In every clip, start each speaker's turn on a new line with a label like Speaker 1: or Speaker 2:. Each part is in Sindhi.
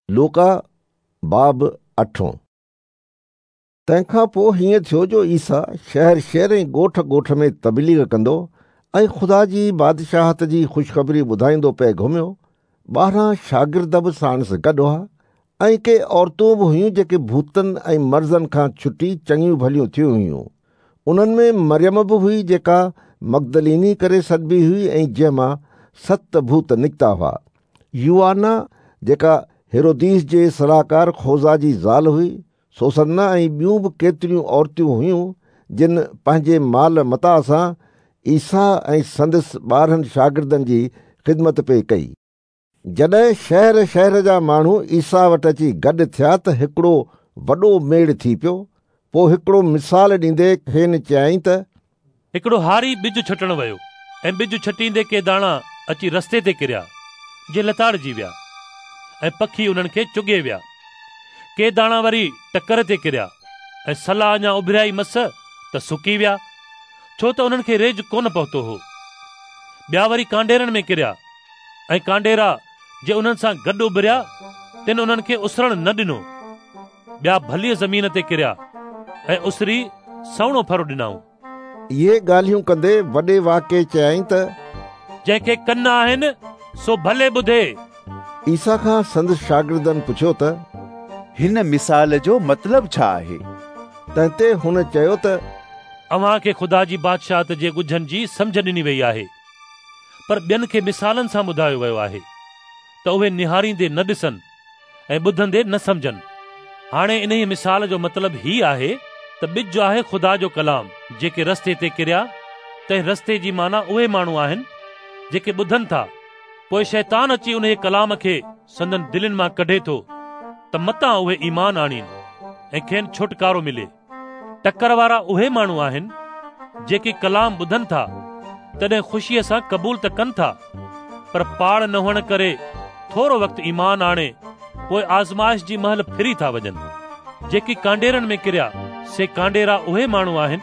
Speaker 1: لوڪا باب اٺون. تنهن کان پوء هيئن ٿيو جو عيسيٰ شهر شهر ۽ ڳوٺ ڳوٺ ۾ تبليغ ڪندو ۽ خدا جي بادشاهت جي خوشخبري ٻڌائيندو پئي گهميو. 12 شاگرد به ساڻس گڏ هئا ۽ ڪي عورتون به هيون جيڪي ڀوتن ۽ مرضن کان ڇٽي چڱيون ڀليون ٿيون هيون. انهن ۾ مريم به هئي جيڪا مگدليني ڪري سڏبي هئي ۽ جنهن مان 7 ڀوت نڪتا هئا. يوآنا جيڪا هيروديس جي صلاحڪار خوزا جي زال هئي، سوسنا ۽ ٻيون به ڪيتريون عورتون هيون جن پنهنجي مال متاع سان عيسيٰ ۽ سندس 12 شاگردن جي خدمت پئي ڪئي. جڏهن شهر شهر جا ماڻهو عيسيٰ وٽ اچي گڏ ٿيا ته هڪڙو وڏو ميڙ ٿي پيو. پوء هڪڙو مثال ڏيندي کين چيائين ته
Speaker 2: هڪڙو هاري ٻج ڇٽڻ ويو ۽ ٻج ڇٽيندي ڪي داڻا اچي رستي تي ڪريا، جي لتاڙجي ويا ۽ پکي انهن کي چڳي ويا. ڪي داڻا وري ٽڪر تي ڪريا ۽ سلا اڃا اڀريا ئي مس ته سڪي ويا، ڇو ته انهن کي ريج ڪونه پهتو هو. ٻيا وري ڪانڊيرن ۾ ڪريا ۽ ڪانڊيرا جي انهن سان گڏ اڀريا، تن انهن کي اسرڻ نه ڏنو. ٻيا ڀليء زمين تي ڪريا ۽ اسري سهڻو ڦر ڏنائون.
Speaker 1: اهي ڳالهيون ڪندي وڏي واڪي چيائين ته
Speaker 2: جنهن کي ڪن آهن سو ڀلي ٻڌي.
Speaker 1: عيسيٰ کان سندس شاگردن پڇيو ته
Speaker 3: هن مثال جو مطلب ڇا آهي؟
Speaker 1: تنهن تي هن چيو ته
Speaker 2: اوهان کي خدا جي بادشاهت جي ڳجهن جي سمجهه ڏني وئي آهي، پر ٻين کي مثالن سان ٻڌايو ويو آهي ته اهي نهاريندي نه ڏسن ۽ ٻڌندي نه سمجهن. هاڻي انهيء مثال جو مطلب هي آهي ته ٻج آهي خدا جو ڪلام، جيڪي رستي تي ڪريا، تنهن رستي جي معنيٰ اهي ماڻهو آهن جيڪي ٻڌن ٿا، پوء شيطان اچي انهيء ڪلام کي سندن دلين مان ڪڍي ٿو ته متان اهي ايمان آڻين ۽ کين ڇوٽڪارو ملي. ٽڪر وارا اهي ماڻهو آهن جيڪي ڪلام ٻڌن ٿا، تڏهن خوشيء سان قبول ته ڪن ٿا، پر پاڙ نه هئڻ ڪري ٿورو وقت ايمان آڻي پوء آزمائش جي مهل ڦري ٿا وڃن. جيڪي ڪانڊيرن ۾ ڪريا، سي ڪانڊيرا اهي ماڻهو آهن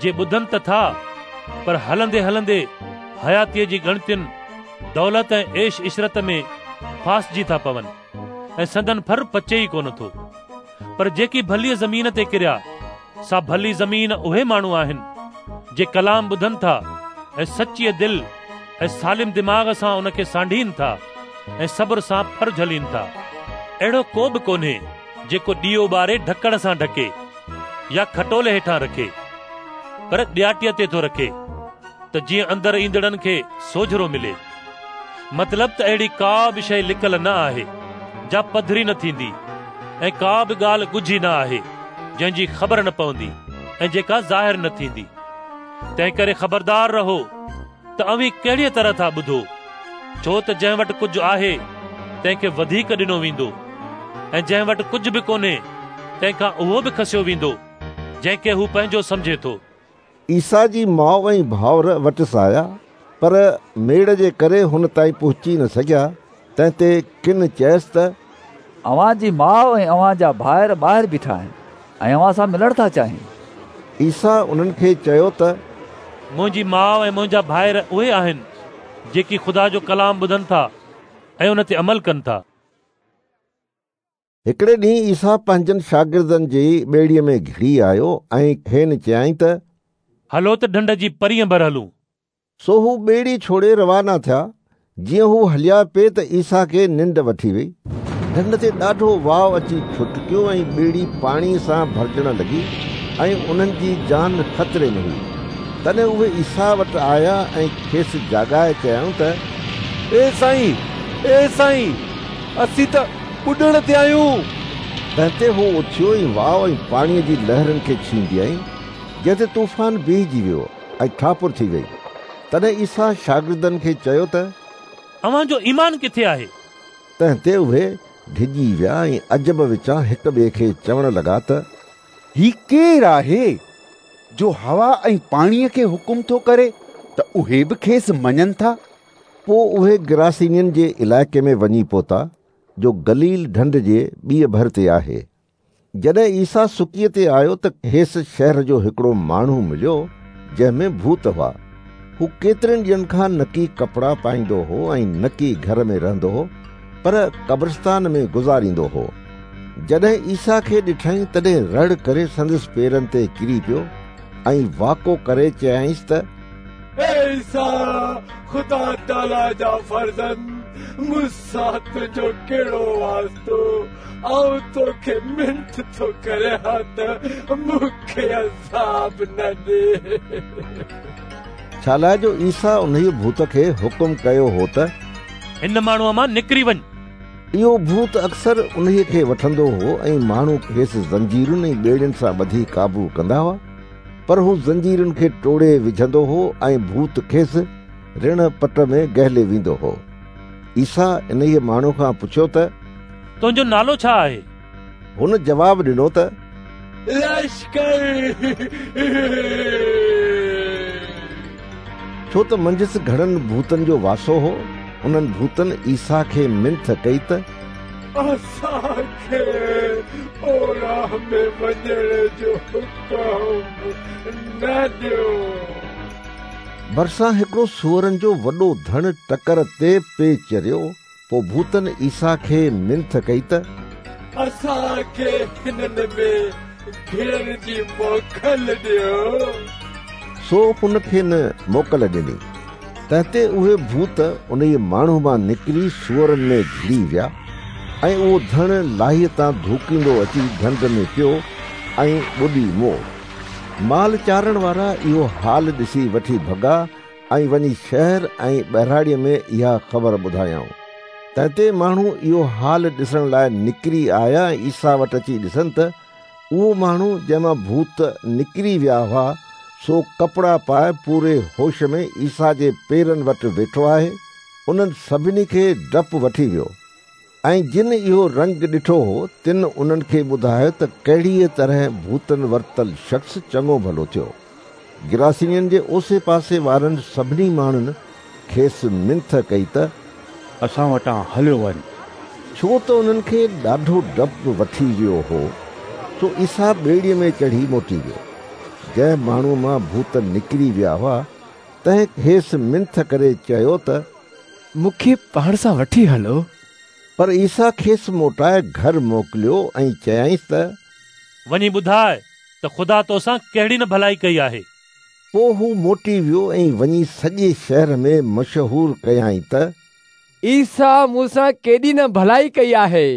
Speaker 2: جي ٻڌن ته ٿا، پر هلندي هلندي حياتيء جي ڳڻتين، دولت ۽ عيش عشرت ۾ ڦاسجي ٿا پون ۽ سندن ڦر پچي ئي ڪونه ٿو. پر جيڪي ڀليء زمين تي ڪريا، سا ڀلي زمين اهي ماڻهو آهن جي ڪلام ٻڌن ٿا ۽ سچيء دل ۽ سالم دماغ سان ان کي سانڍين ٿا ۽ صبر سان ڦر جهلين ٿا. اهڙو ڪو به ڪونهي جيڪو ڏيئو ٻاري ڍڪڻ سان ڍڪي يا کٽولي هيٺان رکي، پر ڏياٽيء تي ٿو رکي ته جيئن اندر ايندڙن کي سوجهرو ملي. مطلب ته اهڙي ڪا به شيء لڪل نه آهي جا پڌري نه ٿيندي ۽ ڪا به ڳالهه ڳجهي نه آهي جنهن جي خبر نه پوندي ۽ جيڪا ظاهر نه ٿيندي. تنهن ڪري خبردار رهو ته اوهين ڪهڙيء طرح ٿا ٻڌو، ڇو ته جنهن وٽ ڪجهه آهي تنهن کي وڌيڪ ڏنو ويندو ۽ جنهن وٽ ڪجهه به ڪونهي تنهن کان اهو به کسيو ويندو جنهن کي هو پنهنجو سمجهي ٿو.
Speaker 1: عيسيٰ جي ماء ۽ ڀائر وٽس آيا، پر ميڙ جي ڪري هن تائين پهچي نه سگهيا. تنهن تي ڪن چيس ته
Speaker 4: اوهان جي ماء ۽ اوهان جا ڀائر ٻاهر بيٺا آهن ۽ اوهان سان ملڻ ٿا چاهين.
Speaker 1: عيسيٰ انهن کي چيو ته
Speaker 2: منهنجي ماء ۽ منهنجا ڀائر اهي آهن جيڪي خدا جو ڪلام ٻڌن ٿا ۽ ان تي عمل ڪن ٿا.
Speaker 1: هڪڙي ڏينهن عيسيٰ پنهنجن شاگردن جي ٻيڙيء ۾ گهڙي آيو ۽ کين چيائين ته
Speaker 2: هلو ته ڍنڍ جي پرينء ڀر هلون.
Speaker 1: سو هو ٻيڙي ڇوڙي روانا ٿيا. جيئن هو هليا پئي ته عيسيٰ کي ننڊ وٺي وئي. ڍنڍ تي ڏاڍو واء اچي ڇٽڪيو ۽ ٻيڙي پاڻيء سان ڀرجڻ لڳي ۽ انهن جي جان خطري ۾ هئي. تڏهن اهي عيسيٰ وٽ آيا ۽ کيس جاڳائي چيائون ته
Speaker 3: اي سائين، اي سائين، اسين ته ٻڏڻ تي آهيون.
Speaker 1: تنهن تي هو اٿيو ۽ واء ۽ پاڻيء جي لهرن کي ڇينڀيائين، جنهن تي طوفان بيهجي ويو ۽ ٺاپر ٿي وئي. تڏهن عيسيٰ شاگردن کي چيو ته
Speaker 2: اوهان جو ايمان ڪٿي آهي؟
Speaker 1: تنهن تي اهي ڊڄي ويا ۽ عجب وچان هڪ ٻئي کي چوڻ لڳا ته
Speaker 3: هي ڪير آهي جو هوا ۽ پاڻيء کي حڪم ٿو ڪري ته اهي به کيس مڃن ٿا؟
Speaker 1: پوء اهي گراسينين جي علائقي ۾ وڃي پهتا، جو گليل ڍنڍ جي ٻيء ڀر تي آهي. جڏهن عيسيٰ سڪيء تي آيو ته کيس شهر جو هڪڙو ماڻهو مليو، جنهن ۾ ڀوت هئا. هو ڪيترن ڏينهن کان نڪي ڪپڙا پائيندو هو ۽ نڪي گهر ۾ رهندو هو، پر قبرستان ۾ گذاريندو هو. جڏهن عيسيٰ کي ڏٺائين تڏهن رڙ ڪري سندس پيرن تي ڪري پيو ۽ واڪو ڪري چيائينس ته
Speaker 5: اي عيسيٰ، خدا تعاليٰ جا فرزند، مون سان تنهنجو ڪهڙو واسطو؟ آئون توکي منٿ ٿو ڪريان ته مون کي عذاب نه ڏي.
Speaker 1: ڇالاء جو عيسيٰ انهيء ڀوت کي حڪم ڪيو هو ته
Speaker 2: هن ماڻهوء مان نڪري وڃ.
Speaker 1: اهو ڀوت اڪثر انهيء کي وٺندو هو ۽ ماڻهو کيس زنجيرن ۽ ٻيڙين سان ٻڌي قابو ڪندا هئا، پر هو زنجيرن کي ٽوڙي وجهندو هو ۽ ڀوت کيس رڻ پٽ ۾ گهلي ويندو هو. عيسيٰ انهيء ماڻهوء کان پڇيو ته
Speaker 2: تنهنجو نالو ڇا آهي؟
Speaker 1: هن جواب ڏنو ته
Speaker 5: لشڪر.
Speaker 1: ڇو ته منجهس گهڻن ڀوتن جو واسو هو. انهن ڀوتن عيسيٰ کي منٿ ڪئي ته
Speaker 5: اسان کي اوڙاهه ۾ وڃڻ جو حڪم نه ڏيو.
Speaker 1: ڀرسان هڪڙو سوئرن جو وڏو ڌڻ ٽڪر تي پئي چريو. پوء ڀوتن عيسيٰ کي منٿ ڪئي ته
Speaker 5: اسان کي هنن ۾ گهڙڻ جي موڪل ڏيو.
Speaker 1: سو هن کين موڪل ڏني. تنهن تي اهي ڀوت انهيء ماڻهو مان نڪري سوئرن ۾ گهڙي ويا ۽ اهو ڌڻ لاهيء تان ڌوڪيندو اچي ڍنڍ ۾ پيو ۽ ٻڏي مئو. مال چارڻ وارا اهو حال ڏسي وٺي ڀڳا ۽ وڃي شهر ۽ ٻهراڙيء ۾ اها خبر ٻڌايائون. تنهن تي ماڻهو اهو حال ڏسڻ لاء نڪري آيا ۽ عيسيٰ وٽ اچي ڏسن ته اهو ماڻهو جنهن مان ڀوت نڪري ويا هئا، سو ڪپڙا پائي پوري هوش ۾ عيسيٰ جي پيرن وٽ ويٺو آهي. انهن سڀني کي ڊپ وٺي ويو. ۽ جن اهو رنگ ڏٺو هو، تن انهن کي ٻڌايو ته ڪهڙيء طرح ڀوتن ورتل شخص چڱو ڀلو ٿيو. گراسينين جي اوسي پاسي وارن سڀني ماڻهن کيس منٿ ڪئي ته
Speaker 6: اسان وٽان هليو وڃ.
Speaker 1: ڇو ته انهن کي ڏاڍو ڊپ وٺي ويو هو. سو عيسيٰ ٻيڙيء ۾ چڙهي موٽي ويو. جنهن ماڻهوء مان ڀوت نڪري ويا هئا، تنهن کيس منٿ ڪري چيو ته
Speaker 7: مون کي پاڻ سان وٺي هلو.
Speaker 1: پر عيسيٰ کيس موٽائي گهر موڪليو ۽ چيائينس ته
Speaker 2: وڃي ٻڌاء ته خدا توسان ڪهڙي نه ڀلائي ڪئي آهي.
Speaker 1: پوء هو موٽي ويو ۽ وڃي سڄي شهر ۾ مشهور ڪيائين ته
Speaker 7: عيسيٰ مون سان ڪيڏي نه ڀلائي ڪئي آهي.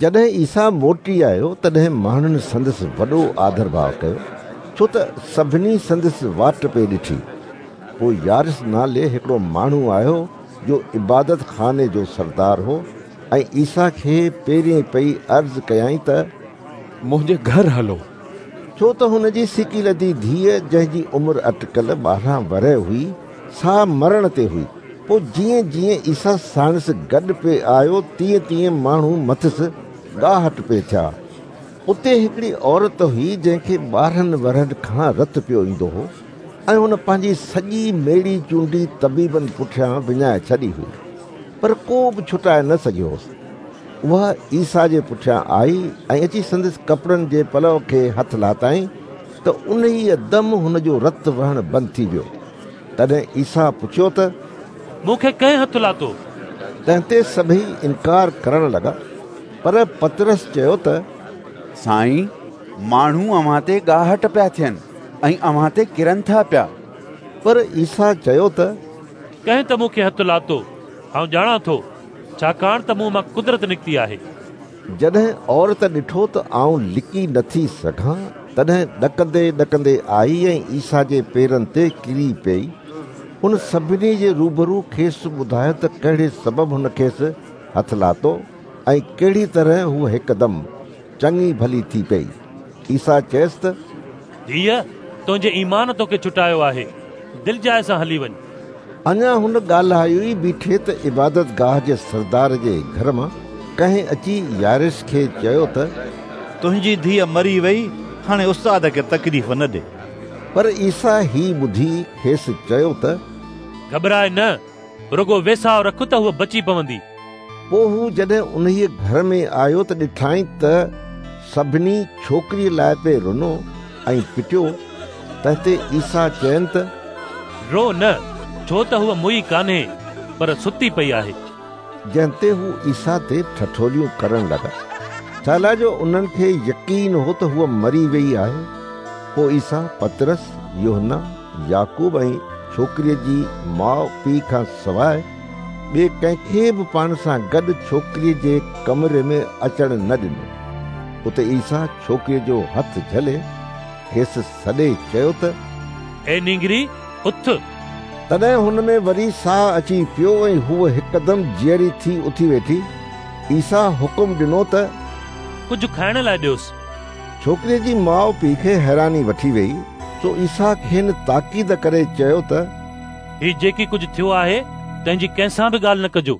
Speaker 1: جڏهن عيسيٰ موٽي آيو، تڏهن ماڻهن سندس وڏو آڌرڀاء ڪيو، ڇو ته سڀني سندس واٽ پئي ڏٺي. پوء يارس نالي هڪڙو ماڻهو آيو، جو عبادت خاني جو سردار هو، ۽ عيسيٰ کي پيرين پئي عرض ڪيائين ته
Speaker 7: منهنجي گهر هلو.
Speaker 1: ڇو ته هن جي سڪيلڌي ڌيء، جنهن جي عمر اٽڪل 12 ورهيه هئي، سا مرڻ تي هئي. پوء جيئن جيئن عيسيٰ ساڻس گڏ پئي آيو، تيئن تيئن ماڻهو مٿس ڳاهٽ پئي ٿيا. اتي هڪڙي عورت هئي، جنهن کي 12 ورهين کان رت پيو ايندو هو ۽ هن پنهنجي سڄي ميڙي چونڊي طبيبن پٺيان وڃائي ڇڏي هئي، پر ڪو به ڇٽائي نه سگهيو هوس. اها عيسيٰ جي پٺيان آئي ۽ اچي سندس ڪپڙن جي پلؤ کي هٿ لاتائين ته انهيء دم هن جو رت وهڻ بند ٿي ويو. تڏهن عيسيٰ پڇيو ته
Speaker 2: مون کي ڪنهن هٿ لاتو؟
Speaker 1: تنهن تي سڀئي انڪار ڪرڻ لڳا، پر پطرس چيو ته
Speaker 3: سائين، ماڻهو اوهان تي ڳاهٽ پيا ٿين ۽ اوهان تي ڪرن ٿا پيا.
Speaker 1: پر عيسيٰ چيو ته
Speaker 2: ڪنهن ته مون کي هٿ لاتو، آئون ڄاڻان ٿو، ڇاڪاڻ ته مون مان قدرت نڪتي آهي.
Speaker 1: جڏهن عورت ڏٺو ته آئون لڪي نٿي سگهان، تڏهن ڏڪندي ڏڪندي آئي ۽ عيسيٰ جي پيرن تي ڪري پيئي. هن سڀني جي روبرو کيس ٻڌايو ته ڪهڙي سبب هن کيس هٿ لاتو ۽ ڪهڙي طرح هوء هڪدم چڱي ڀلي ٿي پيئي. عيسيٰ چيس ته
Speaker 2: ڌيء، تنهنجي ايمان توکي ڇٽايو آهي، دلجاء سان هلي وڃ.
Speaker 1: اڃا هن ڳالهايو ئي بيٺي ته عبادتگاهه جي سردار جي گهر مان ڪنهن اچي يائرس کي چيو ته
Speaker 6: تنهنجي ڌيء مري وئي، هاڻي استاد کي تڪليف نه ڏي.
Speaker 1: پر عيسيٰ هي ٻڌي کيس چيو ته
Speaker 2: گهٻراء نه، رڳو ويساهه رک ته هوء بچي پوندي.
Speaker 1: پوء هو جڏهن انهيء گهر ۾ آيو ته ڏٺائين ته سڀني ڇوڪريء لاء پئي رنو ۽ پٽيو. تنهن تي عيسيٰ چين ته
Speaker 2: رو نه، ڇو ته هوء موئي ڪانهي، پر ستي پئي آهي.
Speaker 1: جنهن تي هو عيسيٰ تي ٺٺوليون ڪرڻ لڳا، ڇالاء جو انهن کي يقين هو ته هوء مري ويئي آهي. پوء عيسيٰ پطرس، يوحنا، يعقوب ۽ ڇوڪريء جي ماء پيء کان سواء ٻئي ڪنهن کي به پاڻ سان گڏ ڇوڪريء جي ڪمري ۾ اچڻ نه ڏنو. اتي عيسيٰ ڇوڪريء جو هٿ جهلي کيس سڏي چيو ته
Speaker 2: اي نينگري، اٿ!
Speaker 1: تڏهن هن ۾ وري ساهه اچي پيو ۽ هوء هڪدم جيئري ٿي اٿي ويٺي. عيسيٰ حڪم ڏنو ته
Speaker 2: ڪجهه کائڻ لاء ڏيوس.
Speaker 1: ڇوڪريء جي ماء پيء کي حيراني وٺي ويئي، سو عيسيٰ کين تاڪيد ڪري چيو ته
Speaker 2: هي جيڪي ڪجهه ٿيو آهي، تنهن جي ڪنهن سان به ڳالهه نه ڪجو.